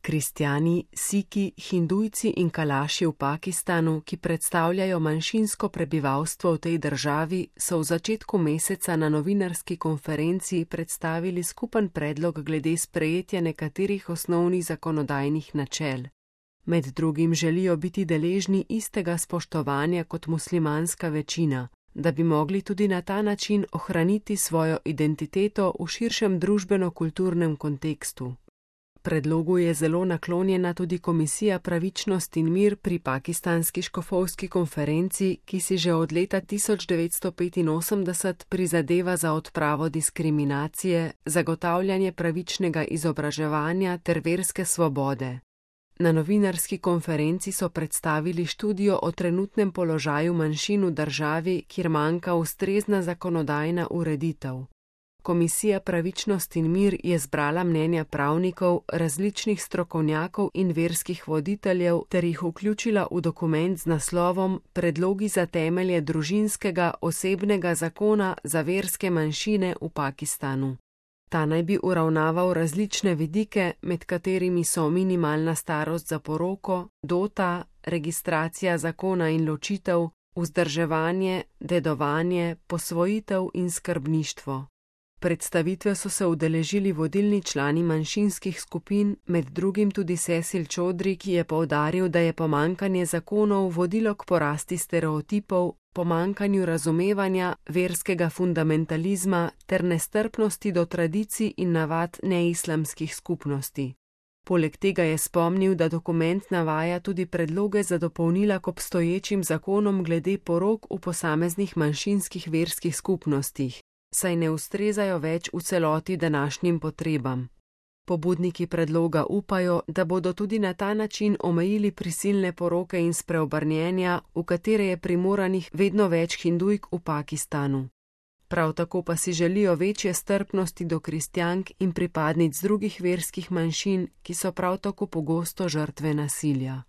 Kristjani, Siki, Hindujci in Kalaši v Pakistanu, ki predstavljajo manjšinsko prebivalstvo v tej državi, so v začetku meseca na novinarski konferenci predstavili skupen predlog glede sprejetja nekaterih osnovnih zakonodajnih načel. Med drugim želijo biti deležni istega spoštovanja kot muslimanska večina, da bi mogli tudi na ta način ohraniti svojo identiteto v širšem družbeno-kulturnem kontekstu. Predlogu je zelo naklonjena tudi Komisija pravičnost in mir pri pakistanski škofovski konferenci, ki si že od leta 1985 prizadeva za odpravo diskriminacije, zagotavljanje pravičnega izobraževanja ter verske svobode. Na novinarski konferenci so predstavili študijo o trenutnem položaju manjšin v državi, kjer manjka ustrezna zakonodajna ureditev. Komisija pravičnost in mir je zbrala mnenja pravnikov, različnih strokovnjakov in verskih voditeljev ter jih vključila v dokument z naslovom Predlogi za temelje družinskega osebnega zakona za verske manjšine v Pakistanu. Ta naj bi uravnaval različne vidike, med katerimi so minimalna starost za poroko, dota, registracija zakona in ločitev, vzdrževanje, dedovanje, posvojitev in skrbništvo. Predstavitve so se udeležili vodilni člani manjšinskih skupin, med drugim tudi Cecil Chaudhry, ki je poudaril, da je pomanjkanje zakonov vodilo k porasti stereotipov, pomanjkanju razumevanja, verskega fundamentalizma ter nestrpnosti do tradicij in navad neislamskih skupnosti. Poleg tega je spomnil, da dokument navaja tudi predloge za dopolnila k obstoječim zakonom glede porok v posameznih manjšinskih verskih skupnostih, saj ne ustrezajo več v celoti današnjim potrebam. Pobudniki predloga upajo, da bodo tudi na ta način omejili prisilne poroke in spreobrnjenja, v katere je primoranih vedno več Hindujk v Pakistanu. Prav tako pa si želijo večje strpnosti do kristjank in pripadnic drugih verskih manjšin, ki so prav tako pogosto žrtve nasilja.